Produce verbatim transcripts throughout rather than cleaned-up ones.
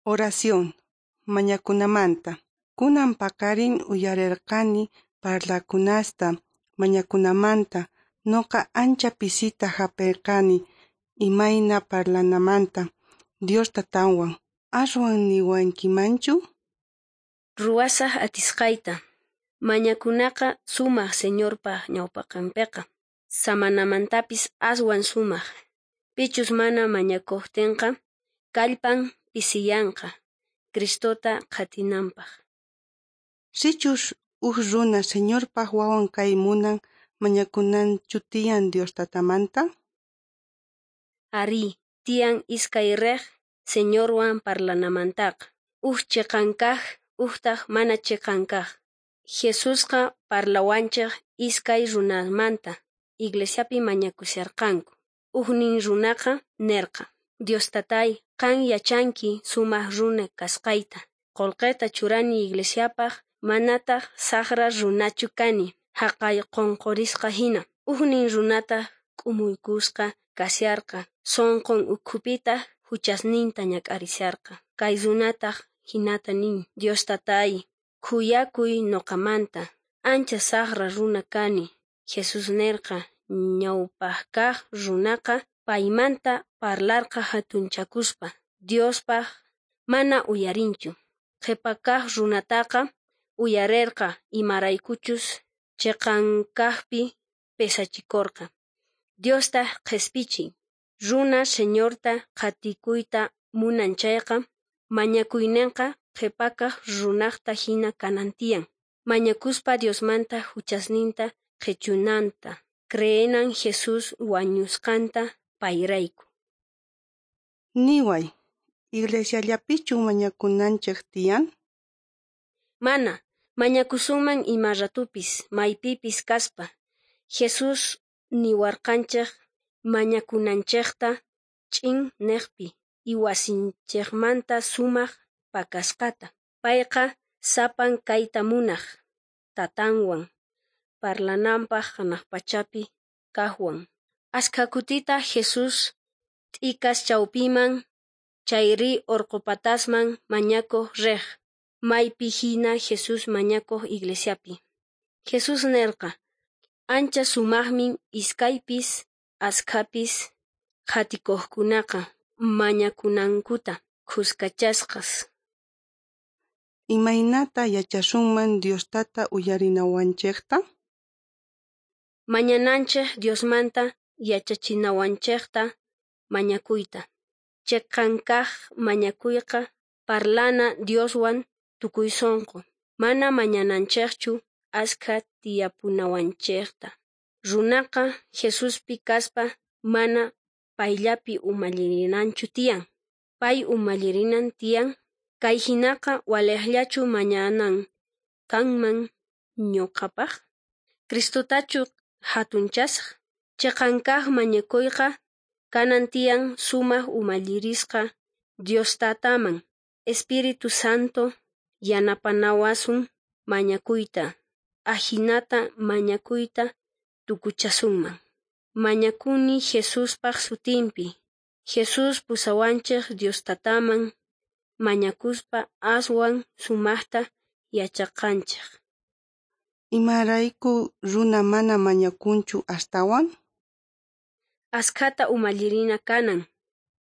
Oración, mañakunamanta. Kunan paqarin uyarerqani parlakunasta mañakunamanta. Noqa ancha pisita jap'erqani imayna parlanamanta Dios tatanwan. Aswan niwankimanchu? Ruwasaj atisqayta. Mañakunaqa sumaq Señorpaj ñawpaqenpeqa. Samanamantapis aswan sumaq. Pichus mana mañakojtenqa, kallpan pisiyanqa, Cristota qhatinanpaj. Sichus uj runa Señorpaj wawan kay munan, mañakunanchu tiyan Dios tatamanta? Arí, tiyan iskay rej Señorwan parlanamantaqa. Uj cheqan kaj, ujtaj mana cheqan kaj. Jesusqa parlawanchej iskay runasmanta iglesiapi mañakusharqanku. Ujnin runaqa nerqa: Dios tatay, qan yachanki sumaj runa kasqayta. Qolqeta churani iglesiapaj, manataj sajra runachu kani, jaqay qonqorisqa jina. Ujnin runataj k'umuykusqa kasharqa, sonqon ukhupitaj juchasninta ñak'arisharqa. Kay runataj jinata nin: Dios tatay, khuyakuy noqamanta, ancha sajra runa kani. Jesús nerqa: ñawpaj kaj runaqa paymanta parlarqa jatunchakuspa, Diospaj mana uyarinchu. Qhepa kaj runataqa uyarerqa imaraykuchus cheqan kajpi pesachikorqa. Diostaj qhespichin. Runa Señorta qhatikuyta munan chayqa, mañakuynenqa qhepakaj runajta jina kanan tiyan. Mañakuspa Diosmanta juchasninta qhechunanta, creenan Jesús wañusqanta payrayku. Niway, iglesiallapichu mañakunanchej tiyan? Mana, mañakusunman ima ratupis, maypipis kaspa. Jesús niwarqanchej mañakunanchejta ch'in nejpi y wasinchejmanta sumaj pakasqata. Payqa sapan kayta munaj, tatanwan, parlananpaj janaj pachapi kajwan. Ashkha kutita Jesús t'ikas chawpiman chayri orqopatasman mañakoj rej, maypi jina Jesús mañakoj iglesiapi. Jesús nerqa: ancha sumajmin iskaypis ashkhapis qhatikojkunaqa mañakunankuta khuskachasqas. Imaynata yachasunman Dios tata uyarinawanchejta? Mañananchej Diosmanta yachachinawanchejta mañakuyta. Cheqan kaj mañakuyqa parlana Dioswan tukuy sonqo. Mana mañananchejchu ashkha tiyapunawanchejta. Runaqa Jesuspi kaspa mana payllapi umallirinanchu tiyan. Pay umallirinan tiyan. Kay jinaqa walejllachu mañanan kanman ñuqapaj? Cristotachu jatunchasaj? Cheqan kaj mañakuyqa kanan tiyan sumaj umallirisqa Dios tataman. Espíritu Santo yanapanawasun mañakuyta. Ajinata mañakuyta tukuchasunman. Mañakuni Jesuspaj sutinpi. Jesús pusawanchej Dios tataman mañakuspa aswan sumajta yachaqanchej. Imarayku runa mana mañakunchu astawan? Ashkhata umallirina kanan.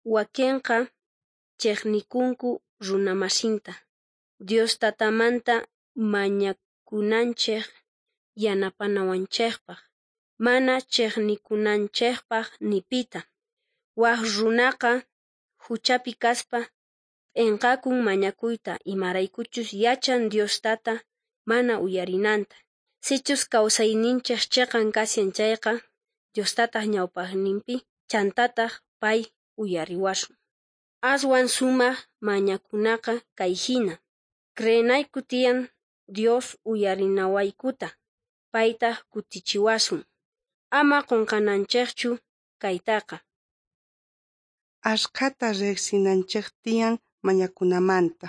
Wakenqa chejnikunku runamasinta. Dios tatamanta mañakunanchej yanapanawanchejpaj, mana chejnikunanchejpaj ni pita. Waj runaqa juchapi kaspa p'enqakun mañakuyta imaraykuchus yachan Dios tata mana uyarinanta. Sichus kawsayninchej cheqan kashan chayqa, Dios tataj ñawpaqninpi chantataj pay uyariwasun. Aswan sumaj mañakunaqa kay jina: creenayku tiyan Dios uyarinawaykuta, paytaj kutichiwasun. Ama qonqananchejchu kaytaqa. Ashkhata rejsinanchej tiyan mañakunamanta.